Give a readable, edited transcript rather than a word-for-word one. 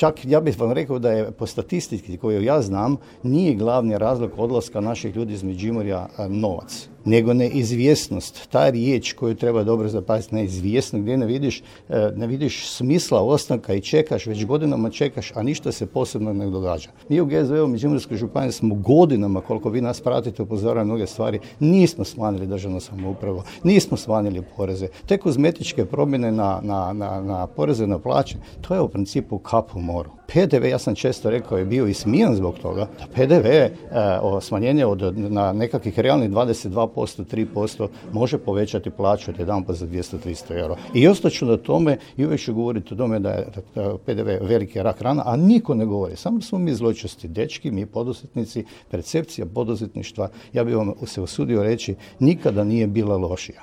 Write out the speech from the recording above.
Čak ja bih vam rekao da je po statistici koju ja znam nije glavni razlog odlaska naših ljudi iz Međimurja novac, nego neizvjesnost. Ta riječ koju treba dobro zapaziti, neizvjesno, gdje ne vidiš smisla ostanka i čekaš, već godinama čekaš, a ništa se posebno ne događa. Mi u GSV-u Međimurskoj županiji smo godinama, koliko vi nas pratite, upozoravamo mnoge stvari, nismo smanjili državnu samoupravu, nismo smanjili poreze. Te kozmetičke promjene na poreze na plaće, to je u principu kap u moru. PDV, ja sam često rekao, je bio i smijen zbog toga, da PDV smanjenje na nekakvih realnih 22%, 3% može povećati plaću od jedanput za 200-300 euro. I ostaću na tome i uvijek ću govoriti o tome da je PDV veliki rak rana, a niko ne govori. Samo smo mi zločesti dečki, mi poduzetnici, percepcija poduzetništva, ja bih vam se usudio reći, nikada nije bila lošija.